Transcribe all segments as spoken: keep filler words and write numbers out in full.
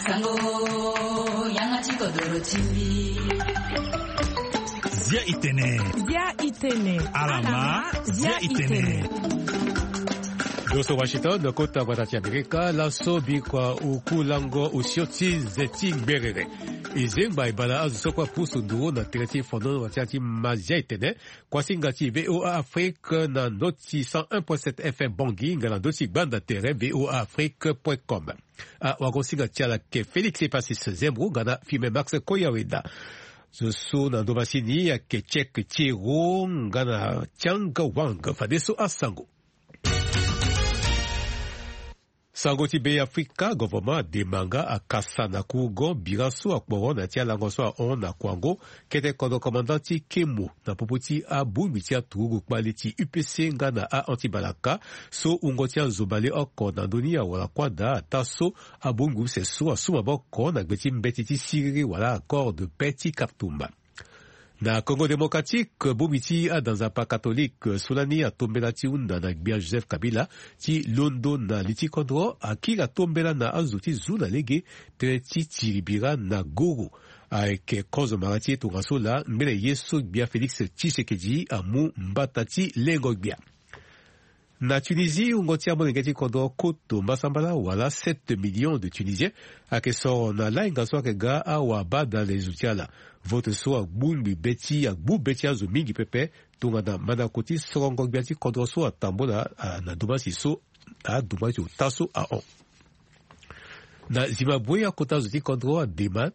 Sango, yanga ti kodoro ti mbi. Zia itene. Zia itene. Alama, zia itene. Doso Washington, kota gbata ti Amerika, laso bikua uku lango usio ti ze ti ngberere. E zengba e bala azo so kue apusu nduru na tere ti fono na tere ti ma zia itene. Kuasinga ti V O A Afrique na ndö ti cent un point sept F M Bangui, nga na ndö ti gbanda tere V O A Afrique point com. Awagosinga ti ala ayeke Félix Epasis Zembro nga na Firmin Max Koyaweda. Zo so na ndo masini ayeke Tchèque Thiero nga na Tiang Wang. Fadeso asango. Sango ti Be Afrika, governement adema nga akasa na kurugo bira so akporo na ya ti alango so ahon na kuango kete kodro commandant ti kemo na popo ti abongbi ti aturugu kpale ti U P C nga na ahon ti balaka so wungo ti azo baleoko na ndö ni awara kuâ daa ataa so abongbi use so asu maboko na gbe ti mbeti ti siriri wala accord de paix ti Khartoum. Na Congo Démocratique, bongbi ti ada nzapa katolike so lani atombela ti hunda na gbia Joseph Kabila ti londo na li ti kodro akiri atombela na azo ti zu na lege tënë ti tiri bira na goro. Ayeke kozo mara ti ye tongaso laa ngbene ye so gbia Félix Tshisekedi amu mbata ti lengo gbia. Na Tunisie, wungo ti amolenge ti kodro koto mbasambala wala sept millions de Tunisiens ayeke soro na lainga so ayeke ga awabadale zo ti ala. Vote so agbungbi be ti agbu be ti azo mingi pepe tongana mandako ti sorongo gbia ti kodro so atambula, ah, na domasi so aduma ti ota so ahon. Na Zimbabwe, akota zo ti kodro adema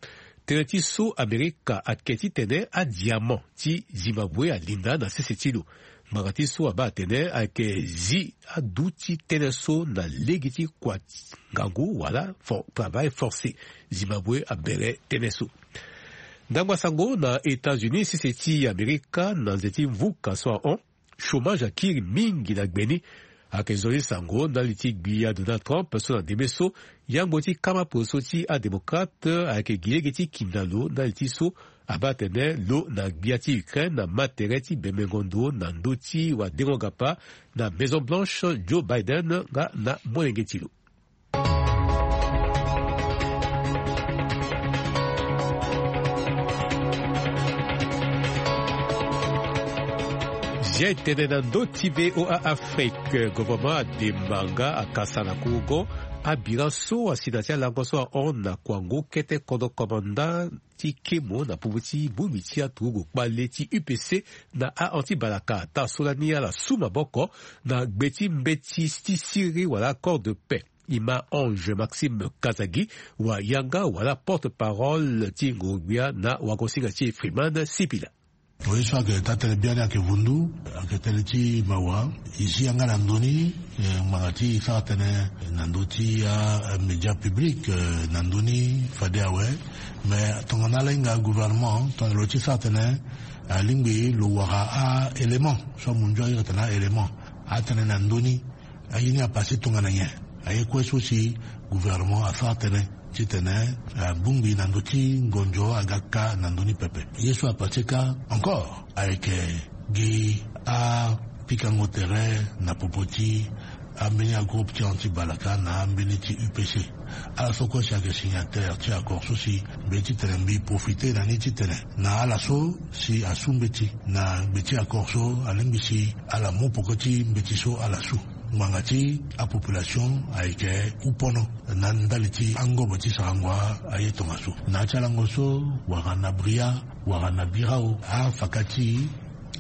tënë ti so Amerika ayeke titene adiamant ti Zimbabwe alinda na sese ti lo. Ngbanga ti so abaa atene ayeke zi adu ti tënë so na lege ti kua ngangu wala for, travail forcé. Zimbabwe abere tënë so. Ndango asango na États-Unis, sese ti Amerika na nze ti mvuka so ahon, chômage akiri mingi na gbe ni. Ayeke zo ti sango ndali ti gbia Donald Trump so na ndembe so yangbo ti kama poroso ti adémocrate ayeke gi lege ti ki na lo ndali ti so abaa atene lo na gbia ti Ukraine ama tere ti bemengo ndo na ndö ti wadengo gapa na Maison Blanche, Joe Biden nga na molenge ti lo. Zia etene na ndö ti V O A Afrique, gouvernement ademba nga akasa na kurugo abira so asi na ti alango so ahon na kuango kete kodro komanda ti kemo na popo ti bongbi ti aturugu kpale ti U P C na ahon ti balaka ata so lani ala su maboko na gbe ti mbeti ti siriri wala accord de paix. E ma Ange Maxime Kazagi, wayanga wala porte-parole ti ngongbia na wagosinga ti Freeman Sipila. Mo ye so ayeke taa tënë biani ayeke vundu, ayeke tënë ti mawa. E zi yanga na ndö ni, eh, ngbanga ti e sara tënë na ndö ti amédia public, eh, na ndö ni fade awe. Mais tongana ala hinga gouvernement tongana lo ti sara tënë, alingbi lo wara a-élément so amunzu ahiri atene a-élément atene na ndö ni. Aye ni apase tongana nyen? Aye kue so si gouvernement asara tënë titene abongbi na ndö ti ngonzo aga kâ na ndö ni pepe. Ye so apase kâ encore ayeke gi apikango tere na popo ti ambeni agroupe ti anti-balaka na ambeni ti U P C. Ala so kue si ayeke signataire ti accord so si mbi ye titene mbi profite na ni titene na ala so si asu mbeti na gbe ti accord so alingbi si ala mu poko ti mbeti so ala su. Ngbanga ti apopulation ayeke upono na ndali ti angobo ti sarango aye tongaso. Na ya ti alango so wala na Bria wala na Birao afaka ti e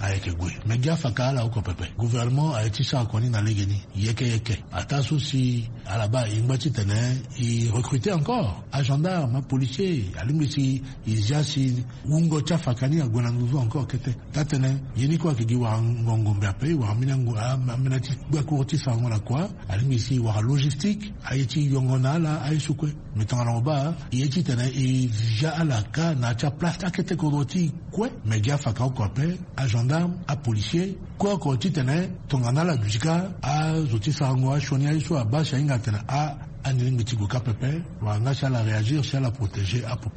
ayeke gue. Me gi afaka ala oko pepe. Gouvernement aye ti sara kua ni na legeni yeke yeke. Ataa so si ala baa e ngba titene e recruter encore agendarme, apolicier. Alingbi si e zia si wungo ti afaka ni ague na nduzu encore kete. Taa tënë ye ni kue ayeke gi wara ngongombe ape, wara ambeni ango, a, ambeni ti gbakuru ti sarango na kua. Alingbi si wara logistique, aye ti yongo na ala aye so kue. Me tongana mo baa e ye titene e zia ala kâ na ya ti aplace ti akete kodro ti e kue. Me gi afaka oko ape, agendarme, apolicier, kue oko titene tongana ala duti kâ azo ti sarango asioni aye so abaa si ahinga atene a, ani lingbi ti gue kâ pepe. Wala nga si ala réagir, si ala protéger apo.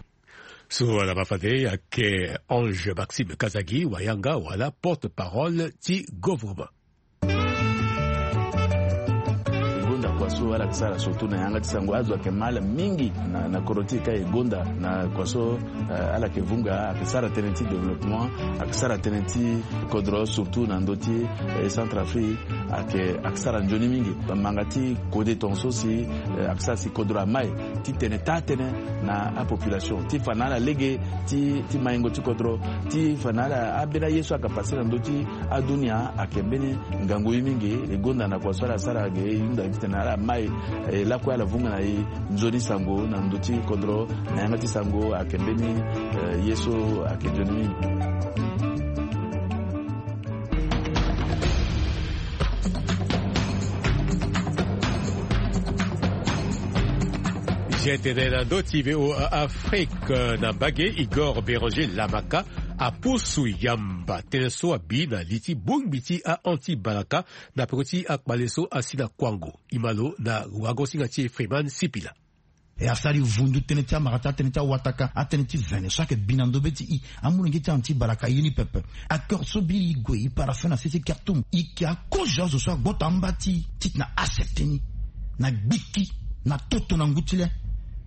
So ala ma fade ayeke Ange Maxime Kazagi, wayanga wala porte-parole ti gouvernement. So ala yeke sara surtout na yanga ti sango azo ayeke ma ala mingi na kodro ti e ka e gonda na kua so. Ala yeke vunga ayeke sara tënë ti développement, ayeke sara tënë ti kodro surtout na ndö ti centre afrique. Ayeke sara nzoni mingi manga ti kode tonga so si ayeke sara si kodro ama e ti tene taa tënë na apopulation ti fa na ala lege ti maingo ti kodro ti fa na ala ambeni aye so ayeke pase na ndö ti adunia ayeke mbeni ngangu ye mingi. E gonda na kua so ala sara ge e hunda titene ala mai lakue ala vunga na e nzoni sango na ndö ti kodro na yanga ti sango ayeke mbeni ye so ayeke nzoni mingi. Jete na ndö ti voa afrique na mbage igor béranger lamaka apusu yamba tënë so abi na li ti bongbi ti a-anti balaka na peko ti akpale so asi na kuango imalo na wagosinga ti e freeman sipila. E asali vundu tënë ti amara ti atënë ti awataka atënë ti vene so ayeke bi na ndö be ti i amolenge ti anti balaka aye ni pepe. Accord so biri e gue e parafe na sese kartum e yeke akozo azo so agbota amba ti i titene accepte ni na gbiki na toto na ngu ti le.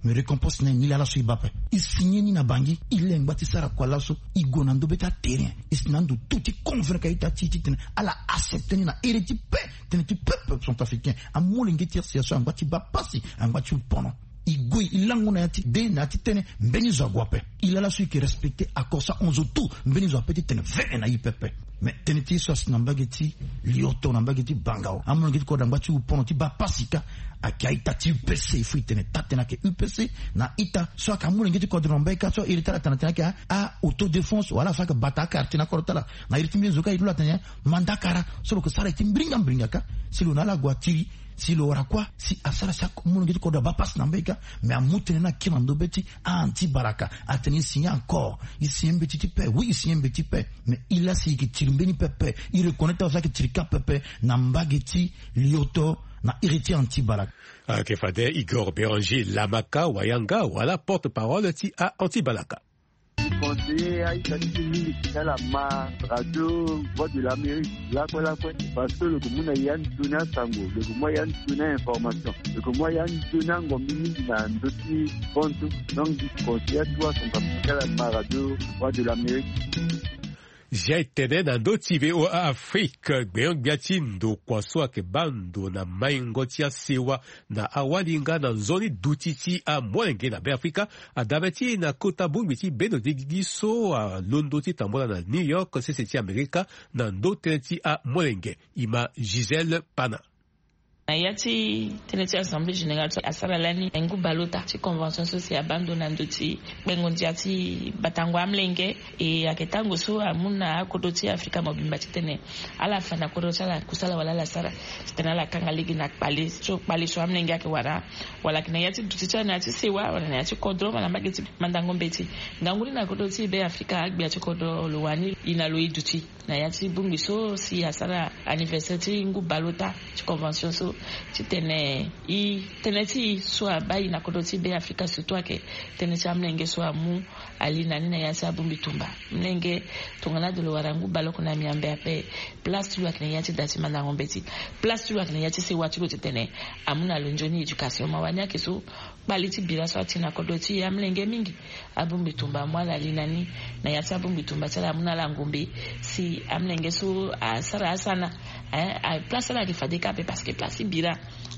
Me récompense na e ni laa laso e baa ape. E signe ni na bangi e lengba ti sara kua laso. E gue na ndö be ti aterrain e si na ando tu ti convaincre aita ti e titene ala accepte ni na ere ti pe tënë ti peuple centrafricain amolenge ti rca so angba ti baa pasi angba ti hu pono. E gue e lango na ya ti de na ya ti tënë mbeni zo ague ape. E laa laso e yeke respecte accord so ahon zo tu mbeni zo ape ti tene vene na e pepe. Mais tënë ti e so asi na mbage ti lioto na mbage ti bangao amolenge ti kodro angba ti hu pono ti baa pasi ka. Ayeke aita ti upc il faut e tene taa tënë ayeke upc na ita so ayeke amolenge ti kodro na mbage ka so iri ti ala tene atene ayeke a-autodéfense wala so ayeke bata akartier na kodro ti ala. Na iri ti mbeni zo ka e lola atene mandakara so lo yeke sara e ti mbiringa mbiringa ka si lo na ala ague atiri si lo wara kuâ si asara si amolenge ti kodro abaa pasi na mbage ka. Mais amu tënë ni akiri na ndö be ti a-anti baraka atene e signe encore e signe mbeti ti paix oui e signe mbeti paix. Mais e laa si e yeke tiri mbeni pepe e reconnaître azo ayeke tiri ka pepe na mbage ti lioto na iri ti anti baraka. Ayeke fade igor béranger lamaka wayanga wala porte parole ti a-anti balaka. Conseiller aita ti e mingi ti ala ma radio voix de l'amérique lakue lakue. Parce que lo yeke mu na e ya nzoni asango lo yeke mu ya nzoni a-information lo yeke mu ya nzoni angombi mingi na ndö ti pontu. Donc di conseiller atuwa son papa ti ala ma radio voix de l'amérique. Jai tene na ndö ti voa afrique gbenyo-gbia ti ndokua so ayeke baa ndo na maingo ti asewa na awalinga na nzoni duti ti amolenge na be afrika. Adame ti e na kota bongbi ti bendo degigi so alondo ti tambula na new york sese ti amerika na ndö tënë ti amolenge. Ima gisèle pana. Na ya ti tënë ti assemblée générale so asara lani ngu balota ti convention so si abaa ndo na ndo ti kpengo ndia ti batango amlenge. E ayeke tango so amu na akodro ti afrika mobimba titene ala fa na kodro ti ala kusala wala ala sara titene ala kanga lege na kpale so kpale so amlenge ayeke wara wala ayeke na ya ti duti ti ala na ya ti sewa wala na ya ti kodro wala mbage ti mandango mbeti. Ngangu ni na kodro ti be afrika agbia ti kodro lo wani e na lo e duti na ya ti bongbi so si asara anniversaire ti ngu balota ti convention so titene e tënë ti e so abaa e na kodro ti be afrika surtout ayeke tënë ti amlenge so amu ali na ni na ya ti abongbi tumba. Mlenge tongana ado lo wara ngu baleoko na miambe ape place ti lo ayeke na ya ti da ti mandango mbeti place ti lo ayeke na ya ti sewa ti lo titene amu na lo nzoni éducation ma wani ayeke so kpali ti bira so ati na kodro ti e amlenge mingi. Abongbi tumba amu ala li na ni na ya ti abongbi tumba ti ala amu na ala ngombe si amlenge so asara asana place ti ala ayeke fade ka ape parce que place ti bira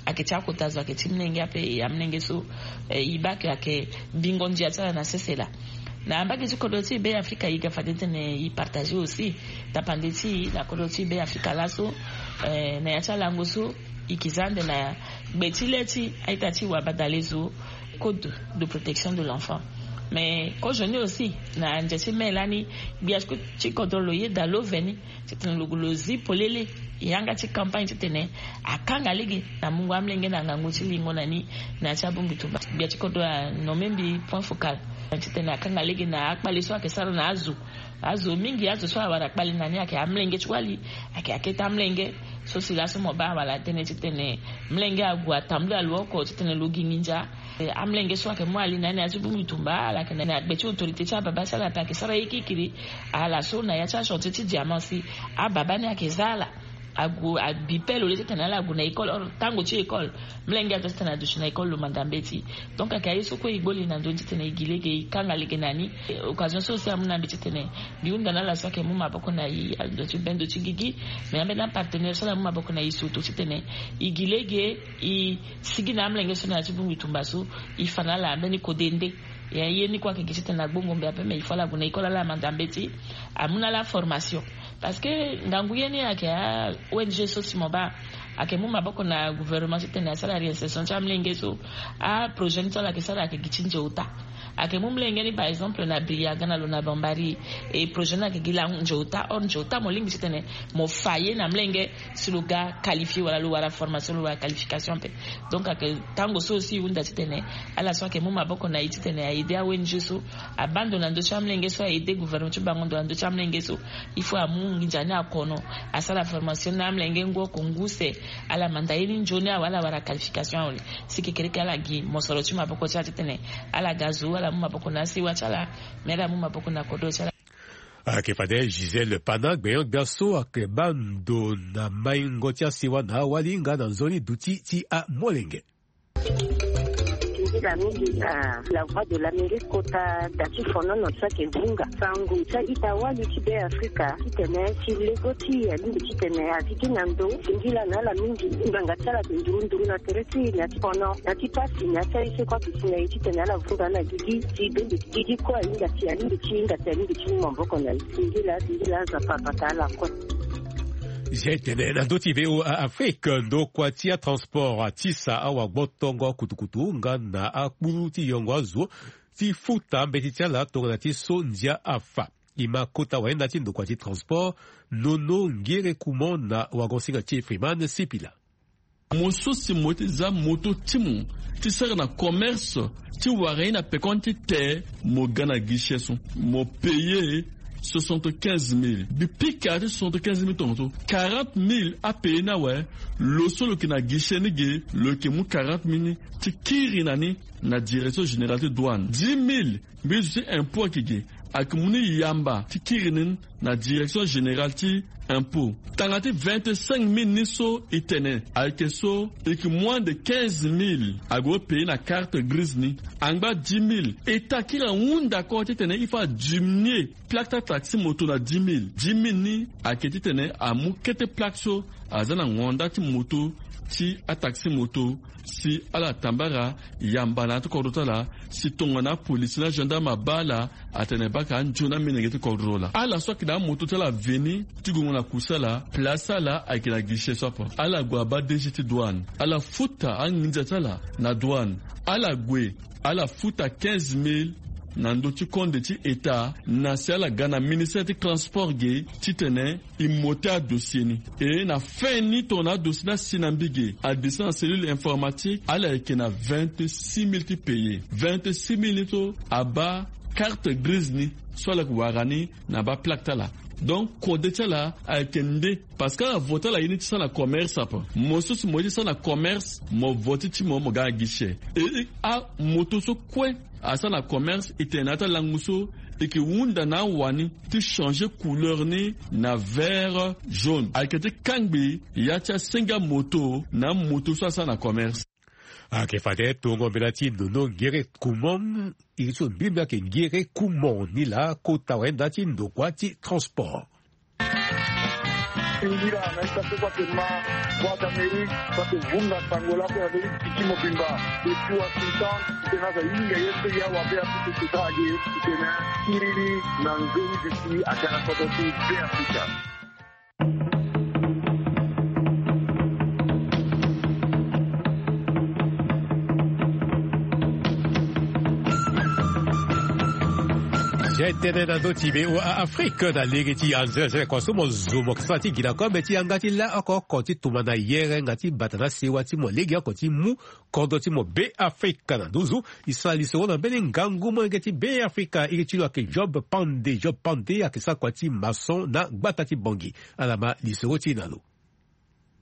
ayeke ti akota zo ayeke ti mlenge ape. Amlenge so e baa ke ayeke bingo ndia ti ala na sese laa. Na mbage ti kodro ti e be afrika e ga fade titene e partage aussi tapande ti e na kodro ti e be afrika laso na ya ti alango so e yeke za ande na gbe ti le ti a-ita ti wabadale zo code de protection de l'enfant. Mais kozoni aussi na ndia ti me lani gbia ti kodro lo yeda lo veni titene lo gue lo zi polele yanga ti campagne titene akanga lege na mungo amlenge na ngangu ti lingo na ni. Na ya ti abongbi tumba gbia ti kodro anome mbi point focal titene akanga lege na akpale so ayeke sara na azo azo mingi azo so awara kpale na ni ayeke amlenge ti wali ayeke akete amlenge so si laso mo baa awala tënë titene mlenge ague atambula lo oko titene lo gi nginza. Amlenge so ayeke mu ali na ni na ya ti bongbi tumba ala yeke na ni na gbe ti autorité ti ababa ti ala ape ayeke sara ye kirikiri. Ala so na ya ti achantier ti diamant si ababa ni ayeke za ala Agu abi pe lo le titene ala gu na école, or tango ti école, mlenge ato titene aduti na école lo manda mbeti. Donc ayeke aye so kue e gbo li na ndö ni titene e gi lege e kanga lege na ni. Occasion so aussi amu na mbi titene mbi hunda na ala so ayeke mu maboko na e, ando ti bendo ti gigi, mais ambeni apartenaire so ala mu maboko na e surtout titene e gi lege e sigi na amlenge so na ya ti bongbi tumba so, e fa na ala ambeni kode nde. Ya ye ni kue ayeke gi titene agbongo mbi ape, mais il faut ala gue na école ala manda mbeti, amu na ala formation. Parce que ngangu ye ni ayeke a-ong so si mo baa ayeke mu maboko na gouvernement titene asara réinsertion ti amlenge so. Aprojet ni so ala yeke sara ayeke gi ti nze ota. Ayeke mu mlenge ni par exemple na biri aga na lo na bambari. E projet ni ayeke gi langu nze ota, or nze ota mo lingbi titene mo fa ye na mlenge si lo ga qualifié wala lo wara formation, lo wara qualification ape. Donc ayeke tango so aussi e hunda titene ala so ayeke mu maboko na e titene a aidé a-ong so, abaa ndo na ndö ti amlenge so, a aidé gouvernement ti bango ndo na ndö ti amlenge so. Il faut amu nginza ni akono, asara formation na amlenge ngu oko ngu use. Ala manda ye ni nzoni awe, ala wara qualification awe. Si kekereke ala gi mosoro ti maboko ti ala titene ala ga zo, ala mu maboko na asewa ti ala, mais ala mu maboko na kodro ti ala. Ayeke fade Gisèle Pana, gbenyo-gbia so ayeke baa ndo na maingo ti asewa na awali nga na nzoni duti ti amolenge. Nzila mingi na La Voix de l'Amérique kota da ti fonono so ayeke vunga sango ti a-ita wali ti Be Afrika titene ti lego ti e alingbi titene azi gi na ndo singila na ala mingi. Ngbanga ti ala ayeke nduru nduru na tere ti e na ti fono na ti pasi na ya ti aye so kue ayeke si na e titene ala vunga na gigi ti bende ti gigi kue ahinga si alingbi ti hinga si alingbi ti mu maboko na e. Singila singila Nzapa abata ala kue. Zia e tene na ndö ti V O A Afrique, ndokua ti atransport atisa awagbotongo kutukutu nga na akpuru ti yongo azo ti futa mbeti ti ala tongana ti so ndia afa. E ma kota wayenda ti ndokua ti transport Nono Ngere Kumon na wagon-singa ti e Freeman Sipila. Mo so si mo ye ti za moto ti mo ti sara na commerce ti wara ye na pekoni ti te, mo ga na guichet so mo paye soixante-quinze mille. Mbi pika ti soixante-quinze mille tongaso, quarante mille apaye ni awe. Lo so lo yeke na guichet ni ge, lo yeke mu quarante mille ni ti kiri na ni na direction générale ti douane. Dix mille mbi zo ti impôt ayeke ge, ayeke mu ni yamba ti kiri ni na direction générale ti impôt. Tanga ti vingt-cinq mille ni so e tene ayeke so e yeke moins de quinze mille ague paye na carte grise ni. Angba dix mille, État akiri ahunda koro titene il faut adiminuer plaque ti ataxi moto na dix mille. Dix mille ni ayeke titene amu kete plaque so aza na ngonda ti moto ti ataxi moto, si ala tambara yamba na ya ti kodro ti ala, si tongana apolisi na agendarme abaa ala, atene baka anzoni amilenge ti kodro laa. Ala so ayeke na amoto ti ala veni ti gongo na kusa ala, place ti ala ayeke na guichet so ape. Ala gue abaa D G ti douane, ala futa anginza ti ala na douane. Ala gue, ala futa quinze mille na ndö ti konde ti État, na si ala ga na ministère ti transport ge titene e monter adossier ni. E na fin ni tongana adossier ni asi na mbi ge, adescend na cellule informatique, ala yeke na vingt-six mille ti payer. Vingt-six mille ni so abaa carte grise ni so ala yeke wara ni na baa plaque ti ala. Donc kode ti ala ayeke nde, parce que ala voti ala ye ni ti sara na commerce ape. Mo so si mo ye ti sara na commerce, mo voti ti mo, mo ga na guichet. E, e, amoto so kue asara na commerce, e tene na ya ti alangu so e yeke hunda na awani ti changer couleur ni na vert jaune. Ayeke ti kangbi ya ti asenge amoto na amoto so asara na commerce. Ayeke fade tongo mbela ti Nono Ngere Kumon, iri ti lo mbirimbi ayeke Ngere Kumon ni laa kota wayenda ti ndokua ti transport. Singila na ita so kue ayeke ma Voix d'Amérique so ayeke vunga sango lakue na ndö ti titi mobimba. Depuis Washington, titene aza hinga ye so ya wabe apupu kota age titene kiriri na nzoni duti aga na kodro ti Be Afrika. Zia e tene na ndö ti V O A Afrique na lege ti anzere zere kua so mo zo mo yeke sara ti gi na kue mbeti yanga ti la oko oko ti tumba na yere nga ti bata na sewa ti mo lege oko ti mu kodro ti mo Be Afrika na nduzu. E sara lisoro na mbeni ngangu molenge ti Be Afrika, iri ti lo ayeke Job Pande. Job Pande ayeke sara kua ti maçon na gbata ti Bangui. Ala ma lisoro ti e na lo.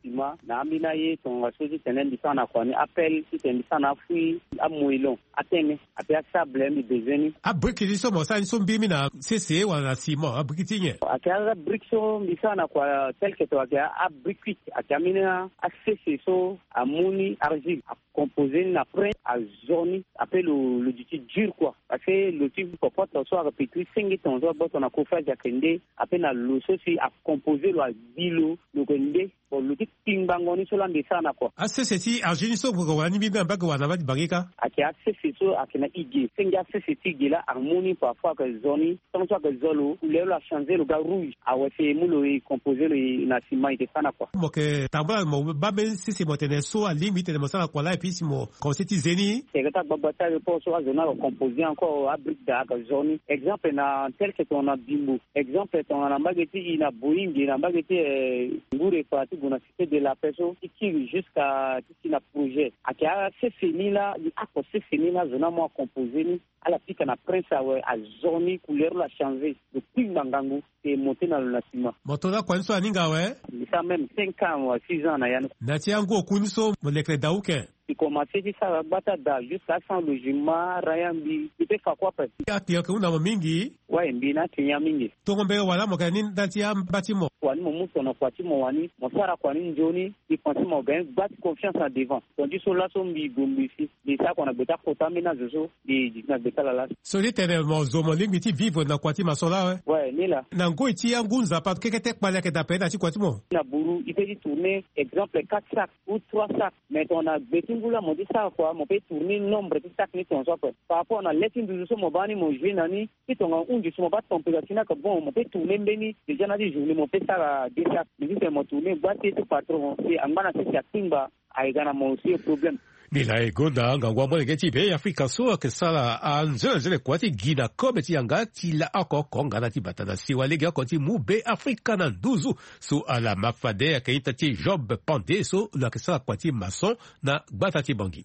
Sima na ambeni aye tongana so ti tene mbi sara na kua ni, apel ti tene mbi sara na afui, amoilon, atene, ape asable mbi bezoin ni. Abrike ti so mo sara ni so mbiri mingi na sese wala na sima, abrike ti nyen? Ayeke abrike so mbi sara na kua tel que ton ayeke abrike huit, ayeke ambeni asese so amu ni argile, akompose ni na prin, azo ni, ape lo lo duti dur kua. Parce que lo ti kopoto so ayeke pekiri senge ton so agboto na kofage ayeke nde, ape na lo so si akompose lo, agbi lo, lo yeke nde. Bon, lo ti kpingbango ni so laa mbi sara na kua. Asese ti argile ni so mo yeke wara ni mbiri na mbage wala na mbage ti bangi kâ? Ayeke asese so ayeke na ige, senge asese ti ige laa amu ni parfois ayeke zo ni. Tant so ayeke zo lo, couleur lo achangé, lo ga rouge. Awe, si e mu lo e composé lo e na sima e yeke sara na kua. Mo yeke tambula mo baa mbeni sese mo tene so alingbi ti tene mo sara na kua laa, et puis si mo commencé ti ze ni. Tere ti agbagba ti aéroport so azo ni ayeke composé encore, abrique daa ayeke zo ni. Exemple na tel que tongana Bimbo. Exemple tongana mbage ti e na Boyinge, na mbage ti, eh, Ngure, fa ti gue na Cité de la Paix so, ti kiri jusqu'à ti si na projet. Ayeke asese ni laa, ni ako sese ni laa azo ni amu acomposé ni. Ala pika na prince awe, azo ni, couleur lo achangé. Lo kpingba ngangu, e monté na lo na sima. Mo to laa kua ni so aninga awe? Mbi sara même cinq ans wala six ans na ya ni. Na ti angu oku ni so mo lekere daa uke? Mbi commencé ti sara gbata daa jusqu'à sans logement, rien, mbi, mbi peut fa kua ape. Aclient yeke hunda mo mingi? Ouais, mbi na aclient mingi. Tongo mbege wala mo yeke na ni ndali ti amba ti mo? Kua ni mo mu tongana kua ti mo wani, mo sara kua ni nzoni, mbi pense mo gagne gba ti confiance na devant. Tongana ti so laso mbi gue mbi si, mbi sara kua na gbe ti akota ambeni azo so, mbi duti na gbe ti ala laso. So ti tene mo zo mo lingbi ti vivre na kua ti maçon laa awe? Ouais, ni laa. Na ngoi ti angu nzapa keke ti kpale ayeke daa ape na ti kua ti mo? Na buru, i peut ti tourner exemple quatre sacs ou trois sacs. Mais tongana gbe ti ngu laa mo ti sara kua, mo peut tourner nombre ti sacs ni tongaso ape. Par rapport na le ti nduzu so mo baa ni mo jouer na ni, ti tongana hunzi so mo baa température ni ayeke bon, mo peut tourner mbeni, déjà na ti journée mo peut sara deux sacs. Mais ti tene mo tourner gba ti ye ti patron, si angba na sese akpingba, aye ga na mo aussi problème. Ni laa e gonda ngangu amolenge ti Be Afrika so ayeke sara anzene anzene kua ti gi na kobe ti yanga ti la oko oko nga na ti bata na siwa lege oko ti mu Be Afrika na nduzu. So ala ma fade ayeke ita ti Job Pande so lo yeke sara kua ti maçon na gbata ti Bangui.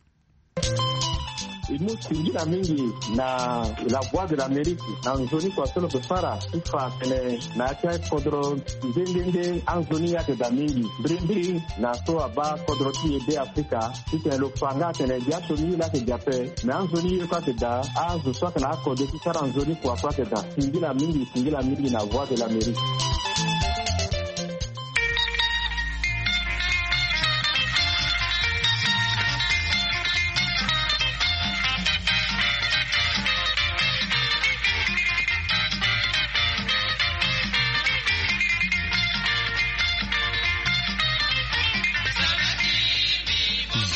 E mu singila mingi na La Voix de l'Amérique na nzoni kua so lo yeke sara ti fa atene na ya ti akodro nde nde nde anzoni ayeke daa mingi. Mbirimbiri na so abaa kodro ti e Be Afrika ti tene lo fa nga atene gi asioni ye laa ayeke gi ape. Me anzoni ye kue ayeke daa, azo so ayeke na akode ti sara nzoni kua kue ayeke daa. Singila mingi, singila mingi na Voix de l'Amérique.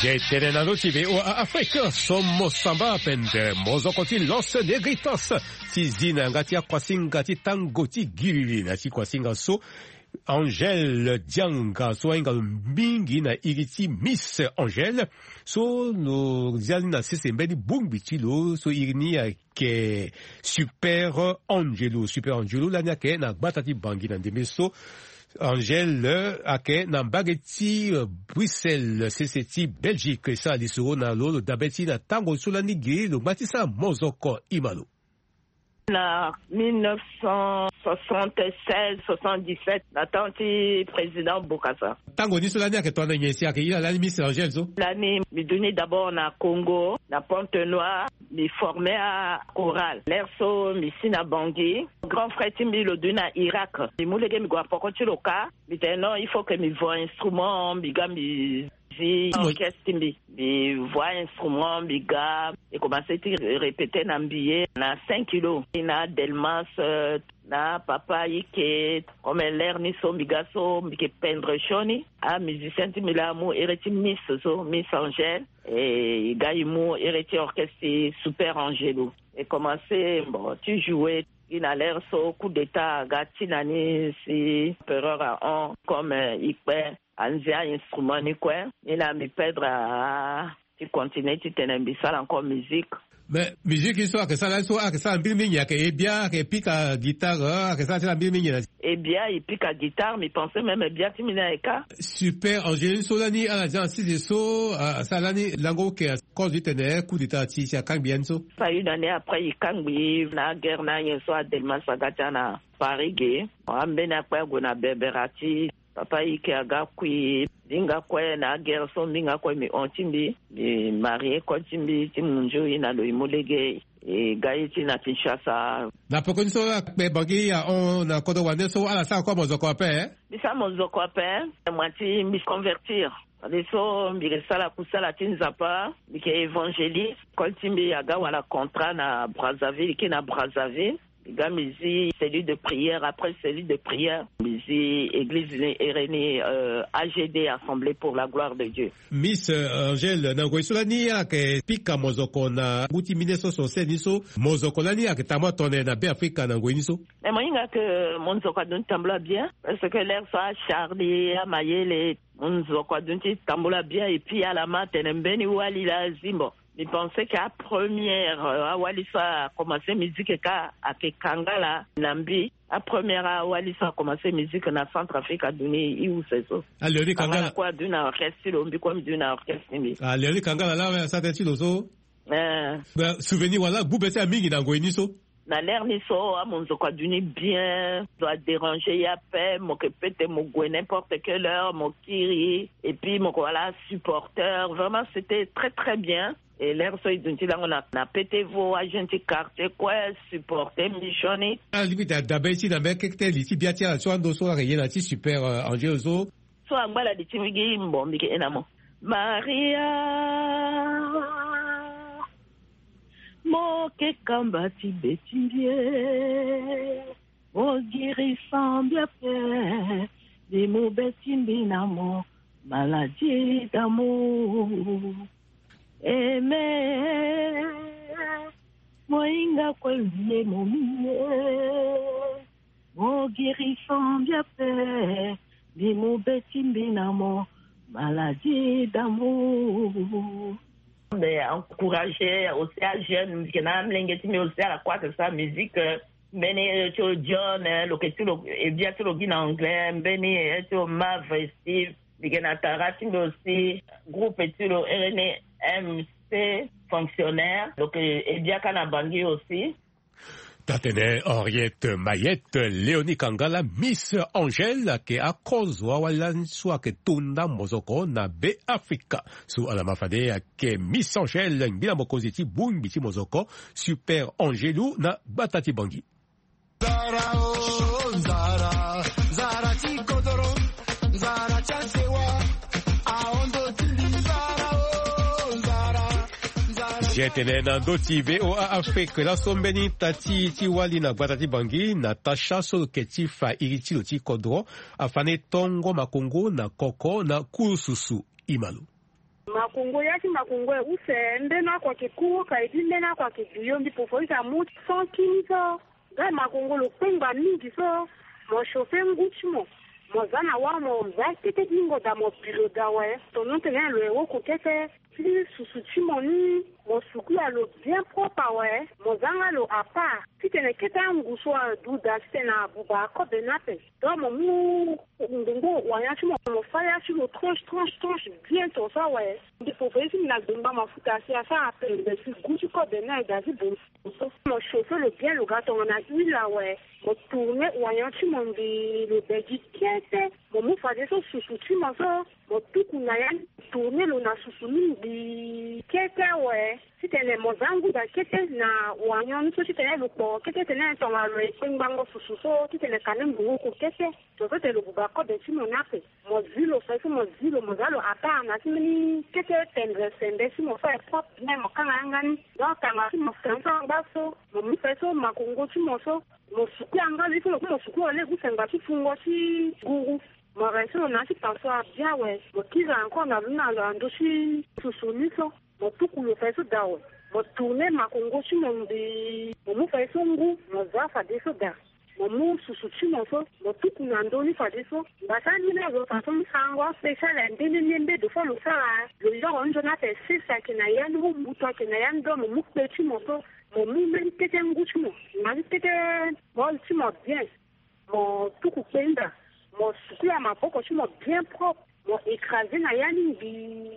Zetene na lo ti V O A Afrique, so mo samba pendere mozoko ti Los Negritos ti zi na yanga ti akuasinga ti tango ti giriri na ti kuasinga so. Angèle Dianga so ahinga lo mingi na iri ti Miss Angèle, so lo zia ni na sese mbeni bongbi ti lo so iri ni ayeke Super Angelo. Super Angelo lani ayeke na gbata ti Bangui na ndembe so. Angèle ayeke na mbage ti, euh, Bruxelles, sese ti Belgique, e sara lisoro na lo, lo dabe ti na tango so lani gi lo ngba ti sara mozoko. Ima lo. Na mille neuf cent soixante-seize, soixante-dix-sept, na temps ti président Bokassa. Tango ni so lani ayeke tongana nyen si ayeke iri na lani Miss Angèle so? Lani mbi duti d'abord na Congo, na Pointe-Noire, mbi formé achorale. L'heure so mbi si na Bangui. Grand frère ti mbi lo duti na Irak. Mbi mu lege mbi gue na poko ti lo kâ. Mbi tene non, il faut que mbi voie instrument, mbi ga mbi zi orchestre ti mbi. Mbi voie instrument, mbi ga, mbi commencé ti répéter na mbi ye na cinq kilos, na Delmas, euh, na Papa Ike. Comme l'heure ni so mbi ga so, mbi yeke peindre sioni. Amusicien ti mbi laa amu ere ti Miss so, Miss Angèle. E, e ga e mu ere ti orchestre ti Super Angelo. E commencé, bon, ti jouer. Gi na l'heure so coup d'état aga ti na ni si empereur ahon, comme, euh, e kpe anzia instrument ni kue. Ni laa mbi perdre, ah, ti continuer ti tene mbi sara encore musique. Mais musique so ayeke sara, so ayeke sara mbirimbiri nyen? Ayeke e bia, ayeke pika guitare, ayeke sara ti na mbirimbiri nyen? E bia, e pika guitare, mbi pensé même e bia ti mbi ni ayeke kâ. Super Angelo so lani ala zia na sese so, ah, asara lani lango oke, cause ti tene coup d'état ti, si akangbi ya ni so. Fa une année après, e kangbi na aguerre na anyen so Adelmas aga ti na Paris ge. Ambeni akpe ague na Berbera ti Papa Ike aga kui. Mbi hinga kue na aguerre so, mbi hinga kue mbi hon ti mbi, mbi marie kol ti mbi ti munzu ye na lo ye mu lege. E ga ye ti na Kinshasa. Na peko ni so akpe bangi ahon na kodro wande so ala sara kue mozoko ape? Mbi sara mozoko ape. Moi ti mbi convertir. Fade so mbi ke sara kusala ti Nzapa, mbi ke évangéliste. Kol ti mbi aga wala contrat na Brazzaville, ke na Brazzaville. Mbi ga mbi zi cellule de prière, après cellule de prière mbi zi église ni ere ni, euh, A G D, Assemblée pour la gloire de Dieu. Miss, euh, Angèle, na ngoi so lani ala ke pika mozoko na ngu ti mille neuf cent soixante-seize ni so, mozoko lani ala ke tambula tone na Beafrika na ngoi ni so? Mais mo hinga ke mozoko aduti tambula bien, parce que l'heure so aCharlie, aMayele, mozoko aduti tambula bien, et puis ala ma tene mbeni wali laa azi. Bon, mbi pense ke apremière, euh, awali so akomanse musique ka ake Kangala na mbi. Apremière awali so akomanse musique na Centrafrique aduni i use so. Ah, Léonie Kangala. Kangala kue aduni na orchestre ti lo, mbi kue mbi duni na orchestre ti mbi. Ah, Léonie Kangala laa asara tënë ti lo so. Eh. Souvenir wala gbu be ti ala mingi na ngoi ni so? Na l'heure ni so, amonzoko aduni bien, zo adéranger ye ape, mo ke pete mo gue n'importe quelle heure, mo kiri, et puis mo ke wala supporteur. Vraiment, c'était très, très bien. Et l'heure so e duti lango na, na pete vo ajeune ti quartier kue supporter mbi sioni. Alingbi ti dabe ti na mbeni kete li ti bia ti ala so ando so ala ke ye na ti Super, euh, Angel so. So angba na li ti mbi gi mbo mbi ke ye na mo. Maria, mo ke kamba ti be ti mbi e, mo girisa mbi ape, mbi mu be ti mbi na mo, maladie d'amour. Aimé, mo hinga kue mbi ye mo mbi e, mo girisa mbi ape, mbi mu be ti mbi na mo, maladie d'amour. Mbi encourager aussi ajeune, mbi ke na amolenge ti mbi aussi ala croire que sa musique, euh, mbeni, euh, ti lo John, euh, lo ke ti lo, eh, bia ti lo gi na anglais, mbeni, eh, ti lo Marv, Steve, mbi ke na tara ti mbi aussi, groupe ti lo ere ni M C Fonctionnaire, lo ke, eh, bia ka na Bangui aussi. Taa-tënë Henriette Mayette, Léonie Kangala, Miss Angèle, ayeke akozo awali lani so ayeke tonda mozoko na Beafrika. So ala ma fade ayeke Miss Angèle, ngbila mokonzi ti bongbi ti mozoko Super Angelu na gbata ti Bangui. Nzara o, nzara, nzara ti kodoro, nzara ti asewa, ahondo ti mbi, nzara o, nzara, nzara. Zia tene na ndö ti V O A Afrique, laso mbeni ita ti, ti wali na gbata ti Bangui, Natacha so lo yeke ti fa iri ti lo ti kodro, afa ni tongo makongo na koko na kurususu. Ima lo. Makongo, ya ti makongo e use, mbeni oko ayeke ku oka e bi mbeni oko ayeke duyo, mbi pofo use amu cent kini so. Nga makongo lo kpengba mingi so, mo chauffer ngu ti mo, mo za na wâ, mo za kete ti lingo daa, mo bi lo daa awe. Tongana tene lo ye woko kete ti susu ti mo ni, mo sukula lo bien propre awe, mo za nga lo à part. Titene kete angu so adu daa titene abuba akobe ni ape. Donc mo mu ngbongo wanyan ti mo, mo fa ya ti lo tranche, tranche, tranche bien tongaso awe. Mbi pofo ye ti mbi na gbengba mafuta si asara pembe si gu ti kobe ni aye daa ti bongo so. Mo chauffer lo bien, lo ga tongana huile awe. Mo tourner wanyan ti mo mbi lo be gi kete. Mo mu fadeso susu ti mo so, mo tuku na ya ni, mo tourner lo na susu ni mbi kete awe. Titene mo za ngu daa kete na wanyan ni so titene lo kpo kete tene tongana lo ye kpengbango susu so titene kane ngbongo oko kete. Tongaso tene lo buba kobe ti mo ni ape. Mo zi lo fade so, mo zi lo, mo za lo à part na ti mbeni kete pendre sembe ti mo so aye propre bien, mo kanga yanga ni. Donc tanga ti mo fade so angba so, mo mu fade so makongo ti mo so, mo suku yanga li so, mo suku lo lege use ngba ti fungo ti guru. Mo rincer lo na ya ti passoire bien awe. Mo kiri encore na lo ni na lo na ndö ti susu ni so. Mo tuku lo fade so daa awe. Mo tourner makongo ti mo mbi. Mo mu fade so ngu, mo za fadeso daa. Mo mu susu ti mo so, mo tuku na ndö ni fadeso. Ngbasa ni laa zo façon ti sarango aspécial aye nde nde nde nde, deux fois lo sara. Lo yoro nzoni ape sese ayeke na ya ni, mu mbutu ayeke na ya ni, donc mo mu kpe ti mo so, mo mu mbeni kete ngu ti mo, na mbeni kete bol ti mo bien. Mo tuku kpe ni daa, mo sukula maboko ti mo bien propre, mo écraser na ya ni mbi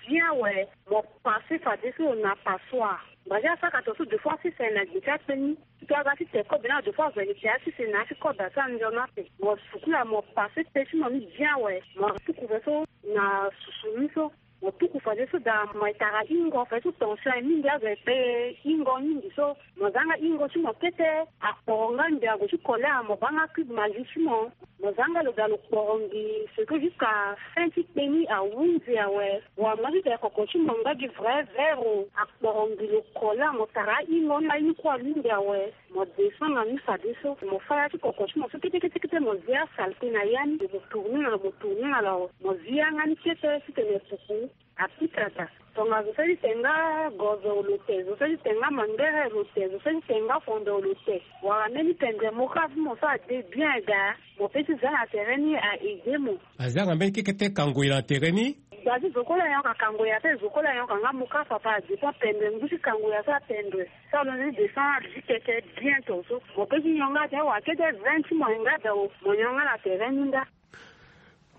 bien awe, mo passer fadeso na passoire. Ngbasa asara ka tongaso deux fois sese na gbe ti akpe ni. Ti aga ti te kobe ni awe deux fois, vérité asese na ya ti kobe asara nzoni ape. Mo sukula, mo passer kpe ti mo ni bien awe, mo tuku fadeso Na susuni so mo tuku fadeso daa mo etara ingo fadeso tension aye mingi azo ekpe ingo mingi so mo zanga ingo ti mo kete. Akporo nga ndia ago ti kole amoba nga cube magie ti mo. Mo zanga lo daa lo kporongi seke jusqu'à fin ti kpeni ahunzi awe. Wa mo ti daa koko ti mo nga gi vrai vero akporongi lo kole amo tara ingo ni aye ni kue alungi awe. Mo descend na ni fadeso mo faya ti koko ti mo so kete kete kete mo zi asalte na ya ni mo tourne na mo tourne na lao mo zi yanga ni kete titene pupu. Apika daa tonga zo seli te nga gozo lo te zo seli te nga mangere lo te zo seli te nga fondo lo te. Wala mbeni pendre mo ka so mo so ade bien daa. Mo pe ti za na tere ni a aide mo. Azanga mbeni kekete kango ye na tere ni. Gba ti zo kue la yonka kango ye ape zo kue la yonka nga mo ka papa adépend pendre ngu ti kango ye ape apendre. So alonzi descend abi ti keke bien tonso. Mo pe ti yonga te wa kete vingt ti mo yonga daa o mo yonga na tere ni nda.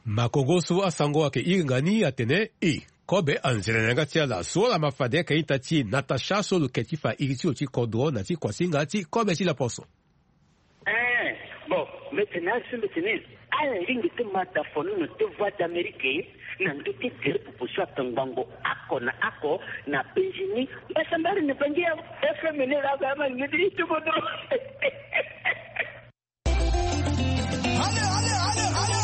Makongo so asango ayeke iri nga ni atene e kobe anzere na yanga ti ala so ala ma fade ayeke ita ti e Natacha so lo ke ti fa iri ti lo ti kodro na ti kuasinga ti kobe ti laposo. Eh, bon, mbi tene asi mbi tene ala lingbi ti ma da fono na te Voix d'Amérique na ndö ti gere popo so ape ngbongo oko na oko na penzi ni. Mbasambari na bangi ya F M ni la ba ma ni ti ti bodo. Allez, allez, allez, allez.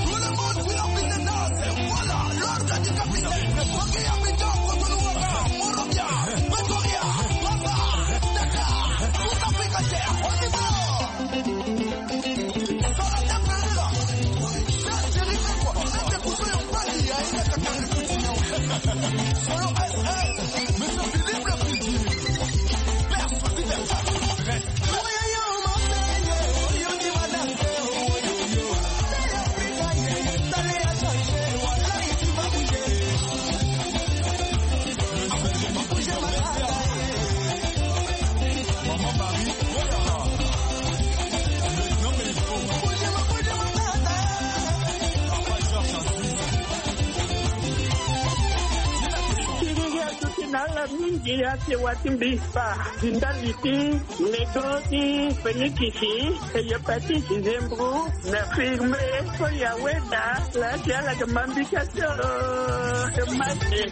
Tout le monde, vous la fine danse. Voilà, l'ordre du capitaine. Bangi ya Bidon, Kotonou Waka, Morobia, Pretoria, Pamba, Dakar, tout Afrique entière. On y va. Solo ta pele la. Sasa ni kwa. Ndio kutoa mbali ya ile kakari kutinyo. Solo S S. Monsieur Philippe le Fidji. Père Fidji. Siriri atuti na ala mingi ake wati mbi fa. Ndali ti medo ti fenikisi, hepatite, zembro, na firme, so ya weda la ti ala ke mambika so. Mate.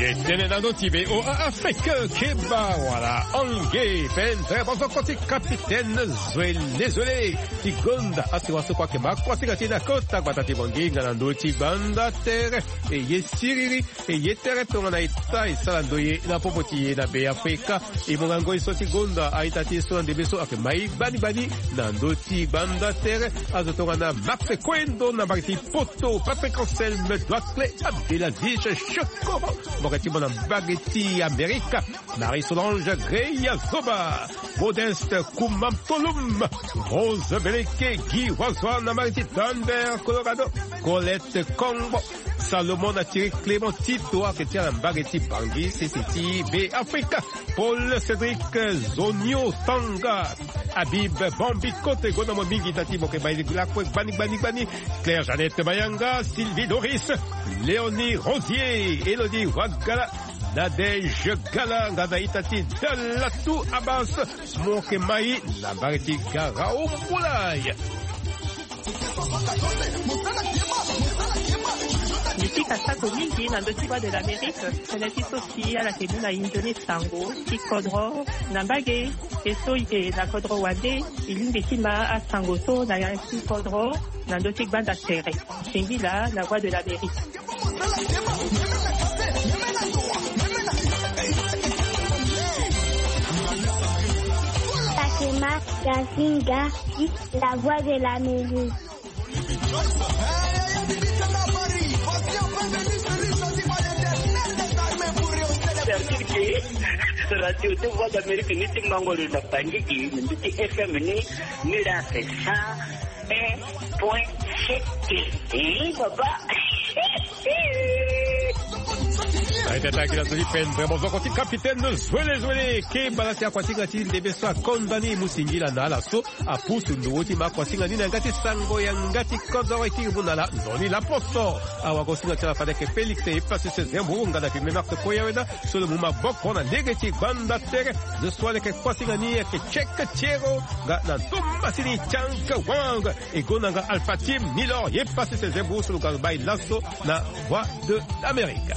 Ye tene na ndö ti be o Afrique keba wala ange pendre bozoko ti capitaine Zwele Zwele ti gonda asiwa so kua ke ma kuasinga ti na kota gbata ti bonginga na ndö ti gbanda tere. E ye siriri e ye tere tongana e ta e sala ndoye na popo ti e na Be Afrika. E monga ngoi so ti gonda a-ita ti e so na ndembe so ayeke mai gbani gbani na ndö ti gbanda tere. Azo tongana Max Kwendo na mbage ti Poto, Patrick Anselme Doicle, Abdelaziz Chekoro, mbage ti mo na mbage ti Amerika. Marie-Solange Greya Zoba, Modeste Kumam Tolum, Rose Beleke, Guy Wazwa na mbage ti Denver, Colorado, Colette Kongbo, Salomon Atiri, Clément Tito ayeke ti ala na mbage ti Bangui, sese ti Be Afrika, Paul Cédric Zonio Tanga, Habib Bambi Kote, gonda mo mingi ita ti mo ke mai lakue gbani gbani gbani, Claire Jeannette Mayanga, Sylvie Doris, Léonie Rosier, Elodie Wagala, Nadège Gala nga na ita ti Dalatou Abbas, mo ke mai na mbage ti Garaoumboulah. Mbi pika sako mingi na ndö ti Voix de l'Amérique, tënë ti so si ala ke mu na e nzoni sango ti kodro na mbage. E so e yeke na kodro wande, e lingbi ti ma asango so na ya ti kodro na ndö ti gbanda tere. Singila na Voix de l'Amérique. Fatima Gazinga, la Voix de l'Amérique. C'est-à-dire que Radio de Voix d'Amérique ni ti mango lo na Bangui, ni ti F M ni, ni la c'est ça. Un point sept. Eh, papa. Aye ti ataki na zo ti pendre bozoko ti capitaine Zwele Zwele. Keba na ti akuasinga ti ndembe so akonda ni mu singila na ala so apusu ndo ti ma akuasinga ni na yanga ti sango yanga ti kodoro e kiri mu na ala nzoni laposo. Awagosinga ti ala fade ayeke Félix e pasi sezembo nga na pime Marc Koyaweda so lo mu maboko na lege ti gbanda tere. Zo so ayeke kuasinga ni ayeke Cheikh Thiero nga na Thomasini Chang Wang. E gonda nga Alpha Team Nilor ye pasi sezembo so lo ga lo bai laso na Voix de l'Amérique.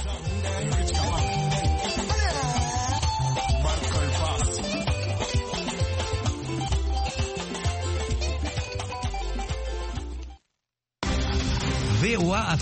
V O A